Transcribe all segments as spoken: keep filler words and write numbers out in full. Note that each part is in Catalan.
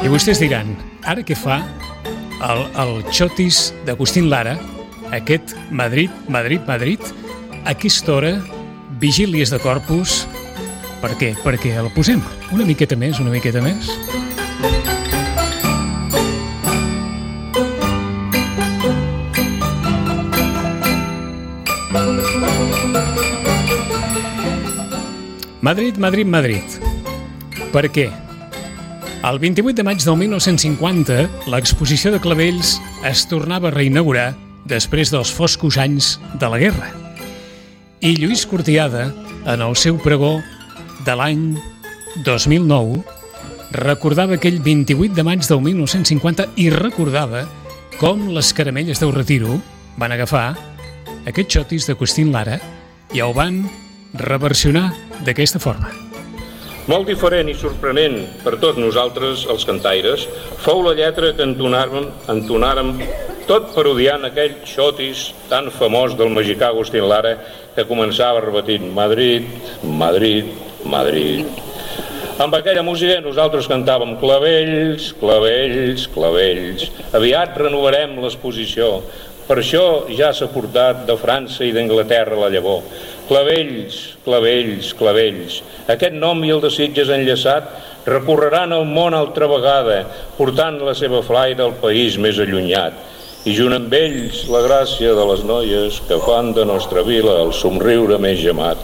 I vostès diran, ara què fa el, el xotis d'Agustín Lara, aquest Madrid, Madrid, Madrid, a aquesta hora, vigílies de Corpus, per què? Perquè el posem una miqueta més, una miqueta més. Madrid, Madrid, Madrid. Per què? El vint-i-vuit de maig del mil nou-cents cinquanta, l'exposició de Clavells es tornava a reinaugurar després dels foscos anys de la guerra. I Lluís Cortiada, en el seu pregó de l'any dos mil nou, recordava aquell vint-i-vuit de maig del mil nou-cents cinquanta i recordava com les caramelles del Retiro van agafar aquest xotis d'Agustín Lara i el van reversionar d'aquesta forma. Molt diferent i sorprenent per tots nosaltres, els cantaires, fou la lletra que entonàrem, entonàrem tot parodiant aquell xotis tan famós del mexicà Agustín Lara que començava repetint Madrid, Madrid, Madrid. Amb aquella música nosaltres cantàvem clavells, clavells, clavells. Aviat renovarem l'exposició. Per això ja s'ha portat de França i d'Anglaterra la llavor. Clavells, clavells, clavells. Aquest nom i el de Sitges enllaçat recorreran el món altra vegada, portant la seva flaire al país més allunyat. I junt amb ells la gràcia de les noies que fan de nostra vila el somriure més gemat.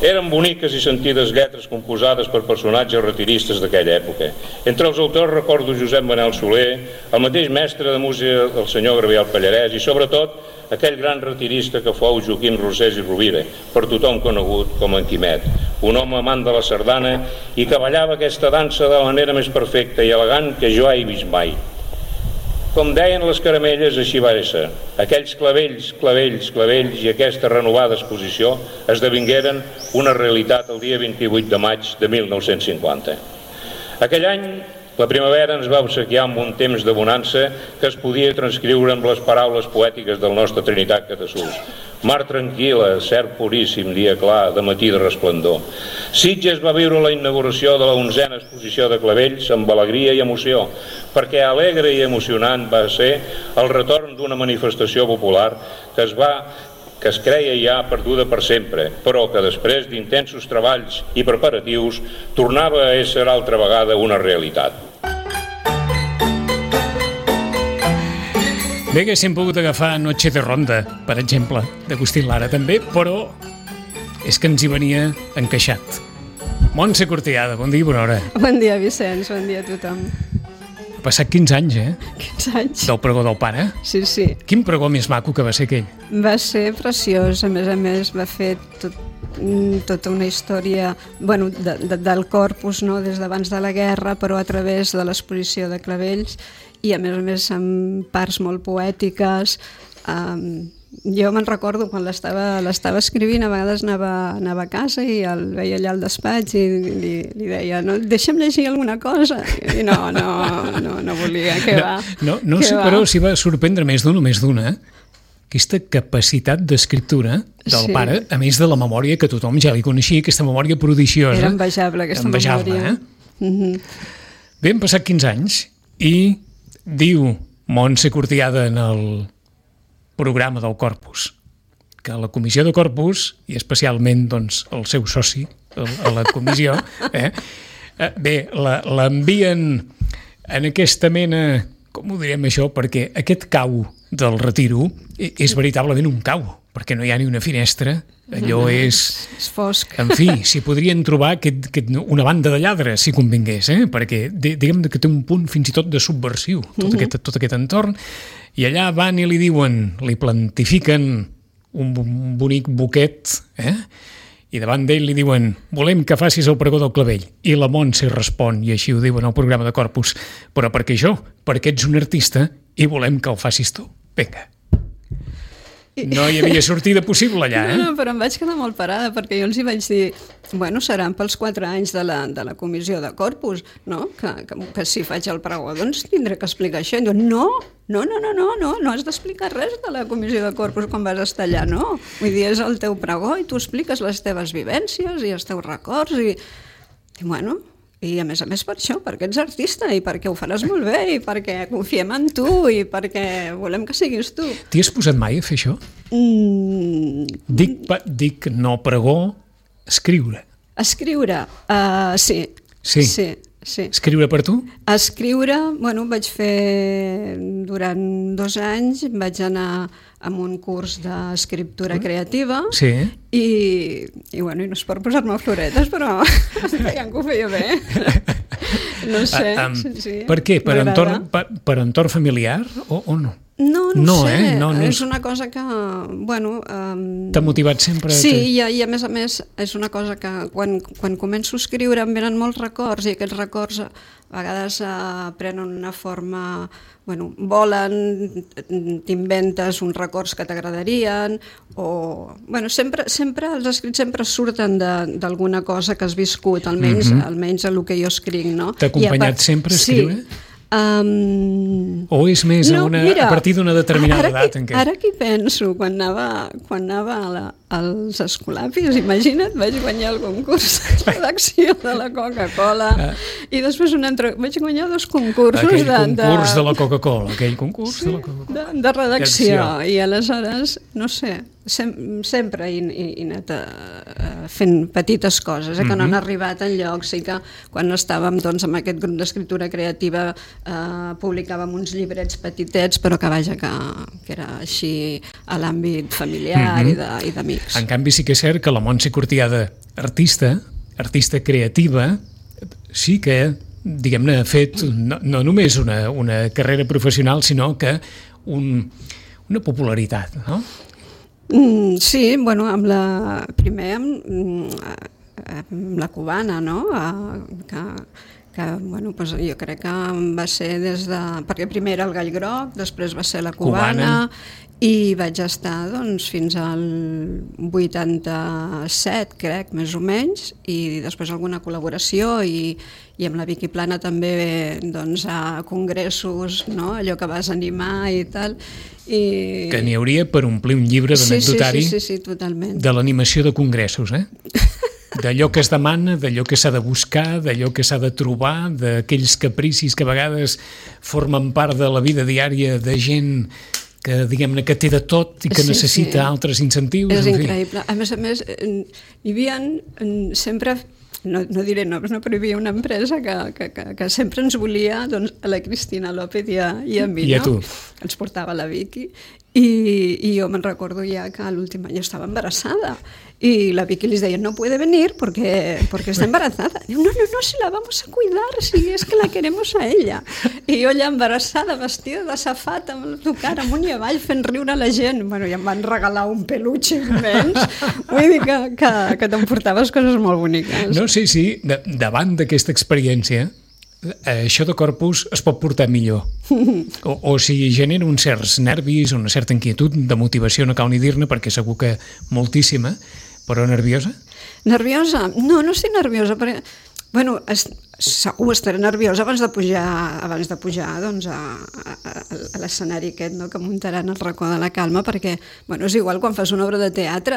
Eren boniques i sentides lletres composades per personatges retiristes d'aquella època. Entre els autors recordo Josep Manel Soler, el mateix mestre de música del senyor Gabriel Pallarès i sobretot aquell gran retirista que fou Joaquim Rosés i Rovira, per tothom conegut com en Quimet, un home amant de la sardana i que ballava aquesta dansa de la manera més perfecta i elegant que jo he vist mai. Com deien les caramelles, així va ser. Aquells clavells, clavells, clavells i aquesta renovada exposició esdevingueren una realitat el dia vint-i-vuit de maig de mil nou-cents cinquanta. Aquell any, la primavera ens va obsequiar amb un temps de bonança que es podia transcriure amb les paraules poètiques del nostre Trinitat Catasús. Mar tranquil·la, cert puríssim, dia clar, de matí de resplendor. Sitges va viure la inauguració de la onzena exposició de Clavells amb alegria i emoció, perquè alegre i emocionant va ser el retorn d'una manifestació popular que es va que es creia ja perduda per sempre, però que després d'intensos treballs i preparatius tornava a ésser altra vegada una realitat. Bé, haguéssim pogut agafar Noche de Ronda, per exemple, d'Agustín Lara també, però és que ens hi venia encaixat. Montse Cortiada, bon dia i bona hora. Bon dia, Vicenç, bon dia a tothom. Ha passat quinze anys, eh? quinze anys. Del pregó del pare? Sí, sí. Quin pregó més maco que va ser aquell? Va ser preciós, a més a més va fer tot, tota una història, bueno, de, de, del corpus, no? Des d'abans de la guerra, però a través de l'exposició de Clavells i a més a més amb parts molt poètiques. Um, jo me'n recordo quan l'estava l'estava escrivint, a vegades anava, anava a casa i el veia allà al despatx i li, li deia, no, deixa'm llegir alguna cosa, i no, no, no, no volia, què no, va. No, no sé, va? Però si va sorprendre més d'un o més d'una, aquesta capacitat d'escriptura del sí. pare, a més de la memòria que tothom ja li coneixia, aquesta memòria prodigiosa. Era envejable, aquesta envejable, memòria. Eh? Mm-hmm. Bé, han passat quinze anys i diu Montse Cortiada en el programa del Corpus, que la comissió de Corpus, i especialment doncs, el seu soci a la comissió, eh, bé, l'envien en aquesta mena, com ho direm això, perquè aquest cau del Retiro és veritablement un cau, perquè no hi ha ni una finestra, allò és... És fosc. En fi, s'hi podrien trobar aquest, aquest, una banda de lladres, si convingués, eh? Perquè diguem que té un punt fins i tot de subversiu, tot, uh-huh. aquest, tot aquest entorn, i allà van i li diuen, li plantifiquen un bonic buquet, eh? I davant d'ell li diuen, volem que facis el pregó del Clavell. I la Montse respon, i així ho diuen al programa de Corpus, però per què jo? Perquè ets un artista i volem que el facis tu. Vinga. No hi havia sortida possible allà, eh? No, no, però em vaig quedar molt parada perquè jo els hi vaig dir, bueno, seran pels quatre anys de la, de la comissió de Corpus, no? Que, que, que si faig el pregó, doncs tindré que explicar això. I diuen, no, no, no, no, no, no, no has d'explicar res de la comissió de Corpus quan vas estar allà, no. Vull dir, és el teu pregó i tu expliques les teves vivències i els teus records i, i bueno, I a més a més per això, perquè ets artista i perquè ho faràs molt bé i perquè confiem en tu i perquè volem que siguis tu. T'hi has posat mai a fer això? Mm. Dic, pa, dic no pregó, escriure. Escriure, uh, sí. Sí. Sí, sí. Escriure per tu? Escriure, bueno, vaig fer durant dos anys, vaig anar a un curs d'escriptura creativa sí. i, i, bueno, i no és per posar-me floretes, però veiem que ho feia bé. No sé. Uh, um, sí, sí, per què? Per entorn, per, per entorn familiar o, o no? No, no, no sé, eh? no, no és... és una cosa que, bueno... Um... T'ha motivat sempre? Sí, te... i, i a més a més és una cosa que quan, quan començo a escriure em venen molts records i aquests records a vegades uh, prenen una forma... Bueno, volen, t'inventes uns records que t'agradarien o... Bueno, sempre, sempre, els escrits sempre surten d'alguna cosa que has viscut, almenys, mm-hmm. almenys a el que jo escric, no? T'ha acompanyat part... sempre a escriure? Sí. Um... O és més no, a, una, mira, a partir d'una determinada ara edat? Que, en què? Ara que penso, quan anava, quan anava a la, als escolapis, imagina't, vaig guanyar el concurs de redacció de la Coca-Cola ah. i després un altre, vaig guanyar dos concursos aquell de, concurs de... de la Coca-Cola, aquell concurs sí, de la Coca-Cola. De, de redacció, i aleshores, no sé, sem sempre he, he, he anat a, a fent petites coses, eh, que mm-hmm. no han arribat enlloc, sí que quan estàvem doncs, amb aquest grup d'escriptura creativa eh, publicàvem uns llibrets petitets, però que vaja, que, que era així a l'àmbit familiar mm-hmm. i d'amics. En canvi sí que és cert que la Montse Cortiada, artista, artista creativa, sí que, diguem-ne, ha fet no, no només una, una carrera professional, sinó que un, una popularitat, no? Mm, sí, bueno, amb la, primer amb, amb la cubana, no? Que, que bueno, pues jo crec que va ser des de... Perquè primer era el Gall Groc, després va ser la cubana, cubana. I vaig estar doncs, fins al vuitanta-set, crec, més o menys, i després alguna col·laboració i, i amb la Vicky Plana també doncs, a congressos, no? Allò que vas animar i tal. I... Que n'hi hauria per omplir un llibre d'anecdotari sí, sí, sí, sí, totalment. De l'animació de congressos, eh? D'allò que es demana, d'allò que s'ha de buscar, d'allò que s'ha de trobar, d'aquells capricis que a vegades formen part de la vida diària de gent que, diguem-ne, que té de tot i que sí, necessita sí. altres incentius. És increïble. A més a més, hi havia sempre... No, no diré noms, no, però hi havia una empresa que, que, que, que sempre ens volia doncs, a la Cristina López i a, i a mi, I a no? tu. Ens portava la Vicky i, i jo me'n recordo ja que l'últim any estava embarassada y la Vicky les deia, no puede venir porque, porque está embarazada. Diu, no, no, no, si la vamos a cuidar, si es que la queremos a ella. I jo allà embarassada, vestida de safata, amb el tocar amunt i avall, fent riure a la gent. Bueno, i em van regalar un peluche immens. Vull dir que, que, que t'emportaves coses molt boniques. No, sí, sí, de, davant d'aquesta experiència, això de Corpus es pot portar millor. O, o si genera uns certs nervis, una certa inquietud, de motivació, no cal ni dir-ne, perquè segur que moltíssima, però nerviosa? Nerviosa? No, no estic nerviosa, perquè, bueno, es, segur estaré nerviosa abans de pujar, abans de pujar doncs, a, a, a l'escenari aquest, no?, que muntaran al Racó de la Calma, perquè, bueno, és igual quan fas una obra de teatre,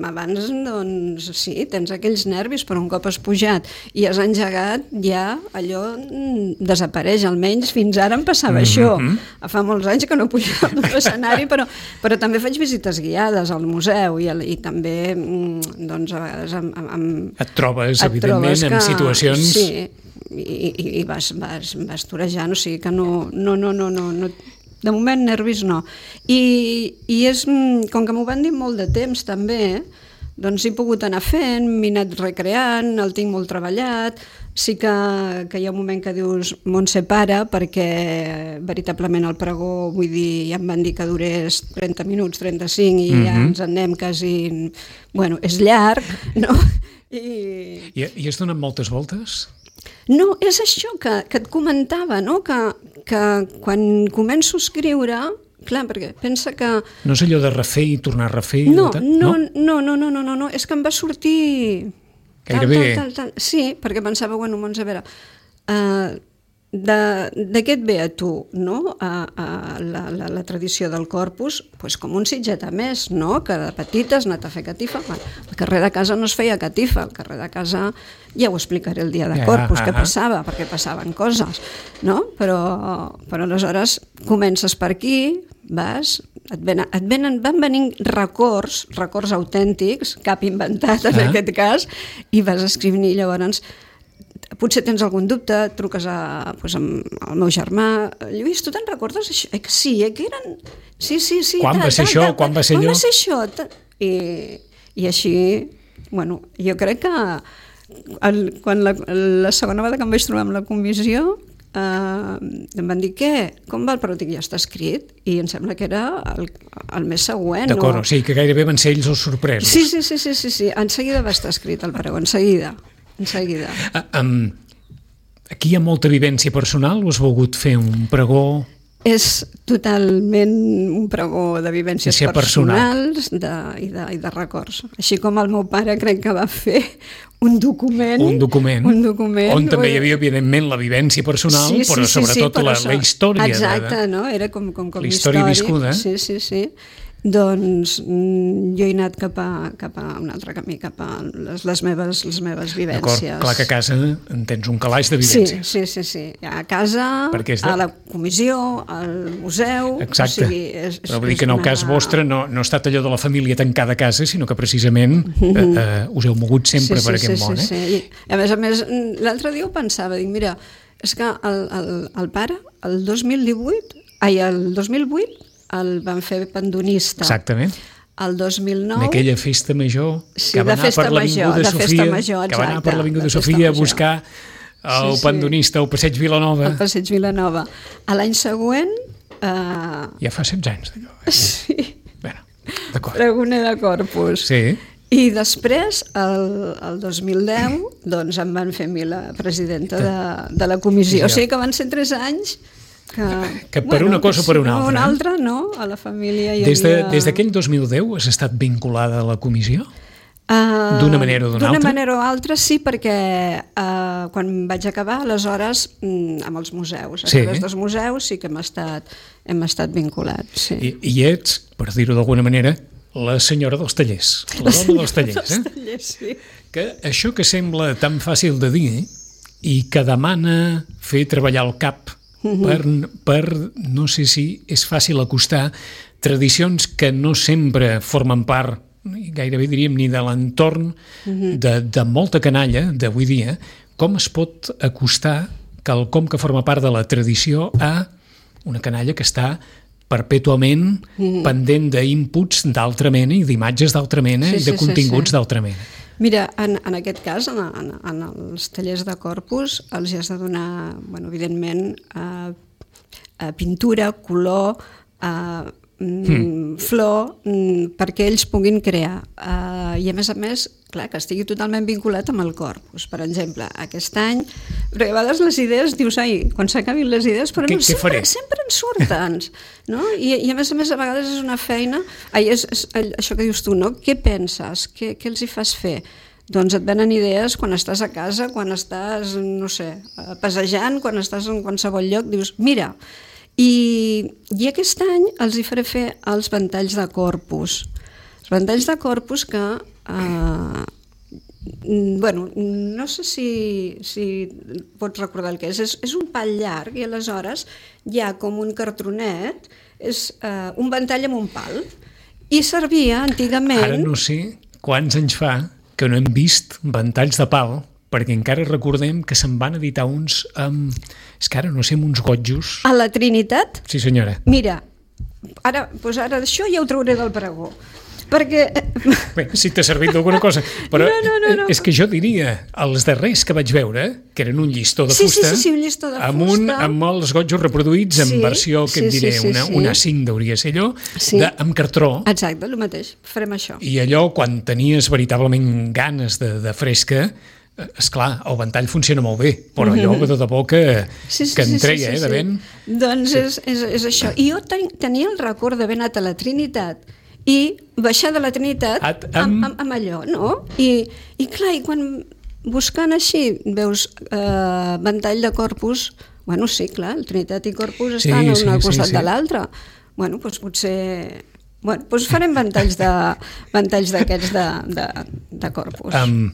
abans, doncs, sí, tens aquells nervis, però un cop has pujat i has engegat, ja allò desapareix, almenys fins ara em passava mm-hmm. això. Fa molts anys que no pujava a l'escenari, però, però també faig visites guiades al museu i, i també, doncs, a vegades amb, amb, et trobes, et evidentment, trobes que, en situacions... Sí, i, i, i vas, vas, vas torejant, o sigui que no, no, no, no, no, no de moment nervis no. I, i és, com que m'ho van dir molt de temps també, doncs he pogut anar fent, m'he anat recreant, el tinc molt treballat, sí que, que hi ha un moment que dius Montse para, perquè veritablement el pregó, vull dir, ja em van dir que durés trenta minuts, trenta-cinc, i mm-hmm. ja ens en anem quasi, bueno, és llarg, no? I, I, i has donat moltes voltes? No, és això que, que et comentava, no? Que, que quan començo a escriure, clar, perquè pensa que... No és allò de refer i tornar a refer? No, tal? no, no, no, no, no, no, no, és que em va sortir... Gairebé... Tal, tal, tal, tal. Sí, perquè pensava, bueno, doncs a veure, uh, de, de què et ve a tu, no? a, a la, la, la tradició del Corpus, pues com un sitget a més, no? Que de petita has anat a fer catifa. Al carrer de casa no es feia catifa, al carrer de casa ja ho explicaré el dia de Corpus, què passava, perquè passaven coses, no? Però, però aleshores comences per aquí, vas, et venen, et venen, van venint records, records autèntics, cap inventat en ah. aquest cas, i vas escrivint i llavors potser tens algun dubte, truques a, pues, al meu germà, Lluís, tu te'n recordes això? Eh que sí, eh que eren... Sí, sí, sí. Quan ta, va ser ta, això? Ta, ta, Quan va ser allò? Quan va ser això? Ta, i, I així, bueno, jo crec que el, quan la, la segona vegada que em vaig trobar amb la comissió eh, em van dir, què? Com va el pregó? Dic, ja està escrit, i em sembla que era el, el mes següent. D'acord, o... o sigui que gairebé van ser ells els sorpresos. Sí, sí, sí, sí, sí, sí. En seguida va estar escrit el pregó, en seguida. En seguida. Uh, um, aquí hi ha molta vivència personal o has volgut fer un pregó? És totalment un pregó de vivències de personals de, i, de, i de records. Així com el meu pare crec que va fer un document. Un document, un document on també hi havia, evidentment, la vivència personal, sí, sí, però sí, sobretot sí, però la, això, la història. Exacte, de, no? Era com, com, com la història viscuda. Sí, sí, sí. Doncs jo he anat cap a, cap a un altre camí, cap a les, les, meves, les meves vivències. D'acord, clar que a casa en tens un calaix de vivències. Sí, sí, sí, sí. A casa, de... a la comissió, al museu... Exacte, o sigui, és, és, però vull dir que en el cas vostre no, no ha estat allò de la família tancada a casa, sinó que precisament eh, eh, us heu mogut sempre sí, per sí, aquest sí, món. Sí, eh? sí. I a més a més, l'altre dia ho pensava, dic, mira, és que el, el, el pare, el dos mil divuit, ai, el dos mil vuit, el van fer pandonista. Exactament. El dos mil nou... En aquella festa major, sí, que va anar per l'Avinguda de Sofia, major, que va anar per l'Avinguda de Sofia a buscar el sí, pandonista al Passeig Vilanova. El Passeig Vilanova. A l'any següent... Eh... Ja fa setze anys d'allò. Eh? Sí. Bueno, d'acord. Pregoner de Corpus. Sí. I després, el, el dos mil deu, doncs em van fer a mi la presidenta de, de la comissió. O sigui que van ser tres anys... Que, que per bueno, una cosa o per una altra. Una altra, no? A la família hi des de, havia... Des d'aquell dos mil deu has estat vinculada a la comissió? Uh, d'una manera o d'una altra? D'una manera o altra, sí, perquè uh, quan vaig acabar, aleshores, mm, amb els museus, a sí. través dels museus sí que hem estat, hem estat vinculats. Sí. I, I ets, per dir-ho d'alguna manera, la senyora dels tallers, la dona dels tallers. dels eh? tallers, sí. Que això que sembla tan fàcil de dir i que demana fer treballar el cap Per, per, no sé si és fàcil acostar tradicions que no sempre formen part, gairebé diríem, ni de l'entorn de, de molta canalla d'avui dia, com es pot acostar quelcom que forma part de la tradició a una canalla que està perpètuament mm-hmm. pendent d'inputs d'altra mena i d'imatges d'altra mena sí, i de sí, continguts sí, sí. d'altra mena. Mira, en, en aquest cas, en, en, en els tallers de Corpus, els has de donar, bueno, evidentment, eh, eh, pintura, color, eh, mm. flor, mm, perquè ells puguin crear. Eh, I a més a més, clar, que estigui totalment vinculat amb el Corpus. Per exemple, aquest any, perquè a vegades les idees, dius, ai, quan s'acabin les idees, però què, no, què sempre, sempre en surten, no? I, I a més a més, a vegades és una feina, ai, és, és això que dius tu, no? Què penses? Què, què els hi fas fer? Doncs et venen idees quan estàs a casa, quan estàs, no sé, passejant, quan estàs en qualsevol lloc, dius, mira, i, i aquest any els hi faré fer els ventalls de Corpus. Els ventalls de Corpus que, eh, bueno, no sé si, si pots recordar el que és. és, és un pal llarg i aleshores hi ha com un cartronet, és eh, un ventall amb un pal, i servia antigament... Ara no sé quants anys fa que no hem vist ventalls de pal, perquè encara recordem que se'n van editar uns amb... És que ara no sé, amb uns gotjos... A la Trinitat? Sí, senyora. Mira, ara, doncs ara això ja ho trauré del pregó, perquè... Bé, si t'ha servit d'alguna cosa, però no, no, no, no. és que jo diria, els darrers que vaig veure, que eren un llistó de sí, fusta, sí, sí, sí, un llistó de amb, fusta. Un, amb els gotjos reproduïts en sí, versió, que sí, et diré, sí, sí, una, sí. una cinc hauria de ser allò, sí. de, amb cartró. Exacte, el mateix, farem això. I allò, quan tenies veritablement ganes de, de fresca, esclar, el ventall funciona molt bé, però allò mm-hmm. de debò que, sí, sí, que en treia, sí, sí, sí, eh, de ben... Sí. Doncs sí. és, és, és això. I jo ten, tenia el record d'haver anat a la Trinitat i baixar de la Trinitat At, amb... amb, amb, amb allò, no? I, i clar, i quan buscant així veus eh, ventall de Corpus, Bueno, sí, clar, el Trinitat i Corpus Sí, estan sí, un al sí, costat sí. de l'altre. Bueno, doncs potser... Bueno, doncs farem ventalls de ventalls d'aquests de, de, de Corpus. Um,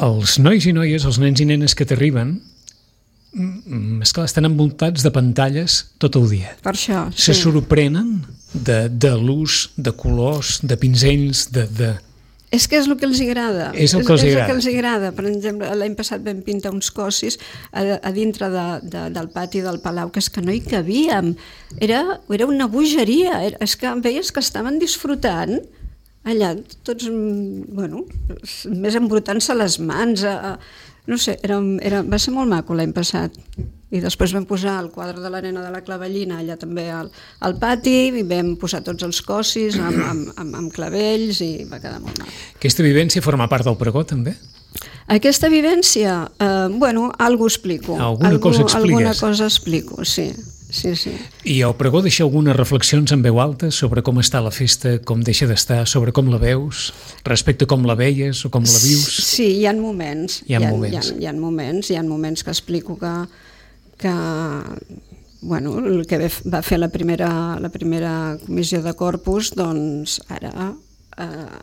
els nois i noies, els nens i nenes que t'arriben, mm, esclar, estan envoltats de pantalles tot el dia. Per això, Se sí. sorprenen de, de l'ús de colors, de pinzells, de... de... És que és el que els agrada. És el que els és, agrada. És el que els agrada. Per exemple, l'any passat vam pintar uns cossis a, a dintre de, de, del pati del Palau, que és que no hi cabíem. Era, era una bogeria. Era, és que veies que estaven disfrutant allà, tots, bueno, més embrutant-se les mans. A, a, no sé, era, era, va ser molt maco l'any passat. I després vam posar el quadre de la nena de la clavellina allà també al, al pati, i vam posar tots els cossis amb, amb, amb, amb clavells, i va quedar molt maco. Aquesta vivència forma part del pregó, també? Aquesta vivència, eh, bueno, alguna explico. Alguna Algú, cosa expliques. Alguna cosa explico, sí. sí, sí. I el pregó deixa algunes reflexions en veu alta sobre com està la festa, com deixa d'estar, sobre com la veus, respecte a com la veies o com la vius? Sí, hi ha moments. Hi ha hi ha, moments. Hi ha, hi ha moments, hi ha moments que explico que, que bueno, el que va fer la primera, la primera comissió de Corpus, doncs ara eh,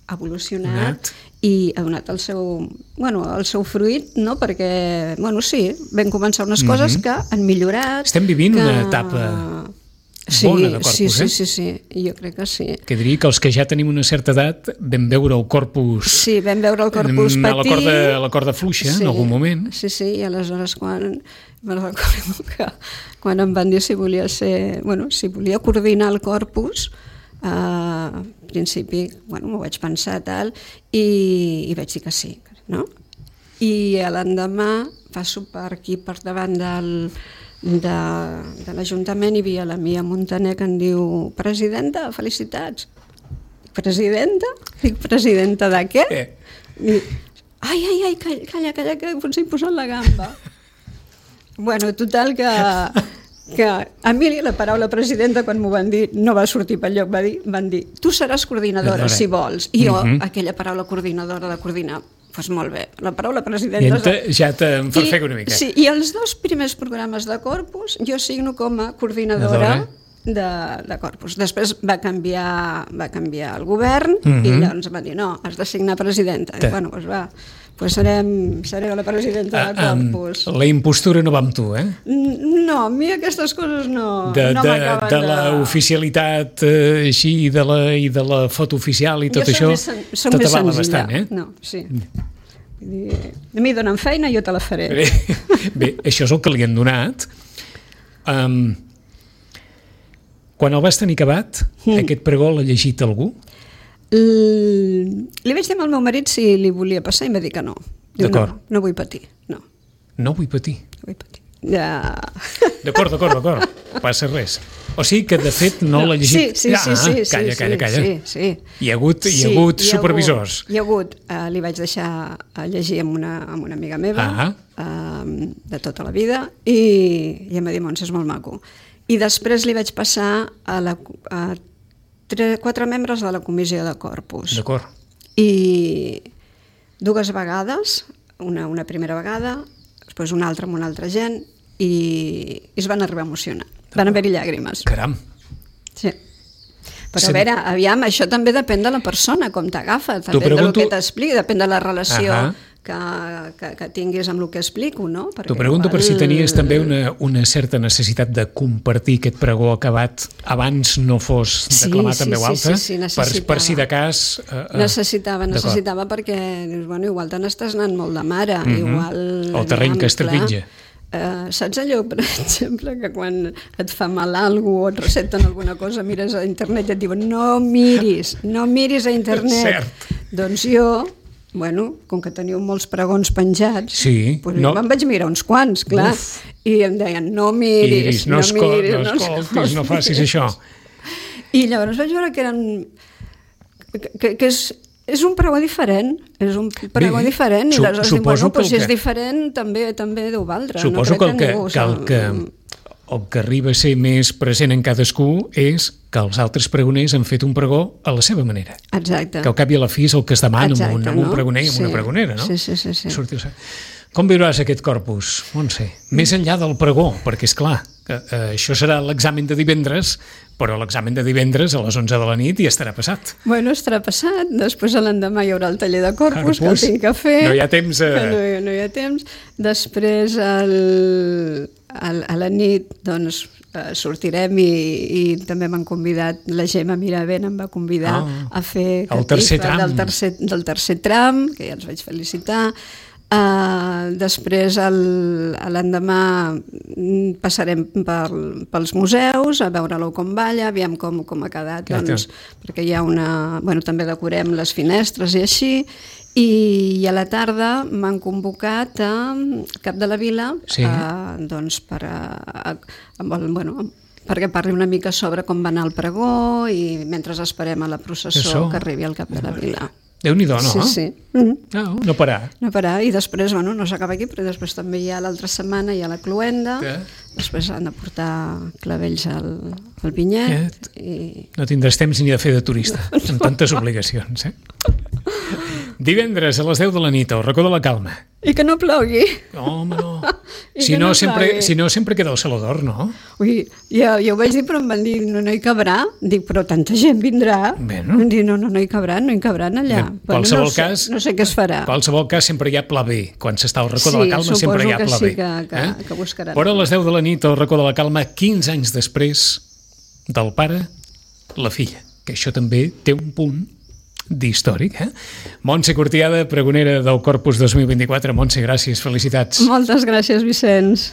ha evolucionat Anat. i ha donat el seu, bueno, el seu fruit, no? Perquè, bueno, sí, vam començar unes coses Mhm. que han millorat. Estem vivint que... una etapa sí, bona de Corpus, sí, sí, eh? sí, sí, jo crec que sí. Que diria que els que ja tenim una certa edat vam veure el corpus... Sí, vam veure el Corpus a la patir. corda, a la corda fluixa, Sí, en algun moment. Sí, sí, i aleshores quan me'n recordo que quan em van dir si volia ser, bueno, si volia coordinar el Corpus, eh, al principi, bueno, m'ho vaig pensar tal, i, i vaig dir que sí, no? I l'endemà passo per aquí, per davant del, de, de l'Ajuntament, i hi havia la Mia Montaner que em diu: presidenta, felicitats. Presidenta? Dic, presidenta de què? Eh. I, ai, ai, ai, calla, calla, calla, que potser he posat la gamba. Bueno, total que, que a mi la paraula presidenta, quan m'ho van dir, no va sortir pel lloc, va dir, van dir, tu seràs coordinadora, si vols. I jo, Mhm. aquella paraula coordinadora de coordinar, doncs molt bé, la paraula I presidenta... ente, ja t'enfarfega una mica. Sí, i els dos primers programes de Corpus jo signo com a coordinadora de, de Corpus. Després va canviar, va canviar el govern, Mhm. i llavors em van dir, no, has de signar presidenta. I, bueno, doncs va, doncs serem, seré la presidenta de Ah, um, Corpus. la impostura no va amb tu, eh? No, a mi aquestes coses no, De, no de, m'acaben de l'oficialitat eh, així, i de, la, i de la foto oficial i tot Jo això, soc més, soc tot més avala senzilla. bastant, eh? No, sí. Vull dir, a mi donen feina, jo te la faré. Bé, bé, això és el que li han donat. Um, quan el vas tenir acabat, Mm. aquest pregó l'ha llegit algú? L... Li vaig dir al meu marit si li volia passar i em va dir que no. Diu, D'acord. no, no vull patir, no, No vull patir. no vull patir. Ja... D'acord, d'acord, d'acord. No passa res. O sigui que, de fet, no, l'ha llegit... Sí, sí, sí, ah, sí, calla, sí, calla, calla. sí, sí. Hi ha hagut, hi ha Sí, hagut hi ha supervisors. Hagut, hi ha hagut, eh, li vaig deixar a llegir amb una, amb una amiga meva, Ah. eh, de tota la vida, i, i em va dir, Montse, és molt maco. I després li vaig passar a, la, a tre, quatre membres de la comissió de Corpus. D'acord. I dues vegades, una, una primera vegada, després una altra amb una altra gent, i, i es van arribar a emocionar. Van haver-hi llàgrimes. Caram. Sí. Però Sí. a veure, aviam, això també depèn de la persona, com t'agafa, depèn pregunto- del que t'expliqui, depèn de la relació Ahà. que, que, que tinguis amb el que explico, no? Perquè T'ho pregunto per si igual- tenies també una, una certa necessitat de compartir aquest pregó acabat abans no fos Sí, declamat sí, en veu sí, alta, sí, sí, per, necessitava. per si de cas... Eh, eh, Necessitava, d'acord. necessitava perquè dius, bueno, igual te n'estàs anant molt de mare, Mhm. igual... El terreny aviam, que es trepitja. clar, Uh, saps allò, per exemple, que quan et fa mal algú o et recepten alguna cosa, mires a internet i et diuen no miris, no miris a internet. Cert. Doncs jo, bueno, com que teniu molts pregons penjats, Sí, doncs no. jo me'n vaig mirar uns quants, clar, Uf. i em deien no miris, Iris, no, no, escol miris, no escoltis, no facis miris. això. I llavors vaig veure que eren... que, que, que és, és un pregó diferent, és un pregó Bé, diferent, i su- aleshores dic, suposo bueno, que doncs el si és que- diferent també també deu valdre. Suposo no que el crec que, ningú que, el se'l- que, el que arriba a ser més present en cadascú és que els altres pregoners han fet un pregó a la seva manera. Exacte. Que al cap i a la fi és el que es demana Exacte, amb un, amb un no? pregoner i amb Sí. una pregonera, no? Sí, sí, sí, sí. Sortir, Com viuràs aquest Corpus, Montse? Més enllà del pregó, perquè, és clar, que, eh, això serà l'examen de divendres, però l'examen de divendres a les onze de la nit ja estarà passat. Bueno, estarà passat. Després l'endemà hi haurà el taller de Corpus, Corpus. que el tinc que fer. No hi ha temps. A... Que no, no hi ha temps. Després, el, el, a la nit, doncs, sortirem i, i també m'han convidat, la Gemma Miravent em va convidar oh, a fer el tercer tram. Del, tercer, del tercer tram, que ja els vaig felicitar. Uh, després l'endemà passarem per, pels museus a veure-lo com balla, aviam com, com ha quedat, doncs, perquè hi ha una... Bueno, també decorem les finestres i així, i, i a la tarda m'han convocat a Cap de la Vila, sí. a, doncs per a, a, a, bueno, perquè parli una mica sobre com va anar el pregó i mentre esperem a la processó que arribi al Cap de la Vila. Déu-n'hi-do, no? Sí, sí. Mm-hmm. No, no parar. No parar, i després, bueno, no s'acaba aquí, però després també hi ha l'altra setmana, hi ha la cloenda, que? Després han de portar clavells al, al vinyet. I... No tindràs temps ni de fer de turista, amb tantes obligacions, eh? Divendres a les deu de la nit, al racó de la Calma. I que no plogui. Home, no. Si no, no sempre, si no, sempre queda el Saló d'Or, no? Ui, ja, ja ho vaig dir, però em van dir, no, no hi cabrà. Dic, però tanta gent vindrà. Bueno. Em dic, no, no, no hi cabran, no hi cabran allà. En qualsevol no, cas... No sé què es farà. En qualsevol cas sempre hi ha pla B. Quan s'està al racó sí, de la Calma sempre hi ha pla B. Sí, suposo que sí, que, que, eh? que buscaran. Però a les deu de la nit, al racó de la Calma, quinze anys després del pare, la filla. Que això també té un punt d'històric, eh? Montse Cortiada, pregonera del Corpus dos mil vint-i-quatre. Montse, gràcies, felicitats. Moltes gràcies, Vicenç.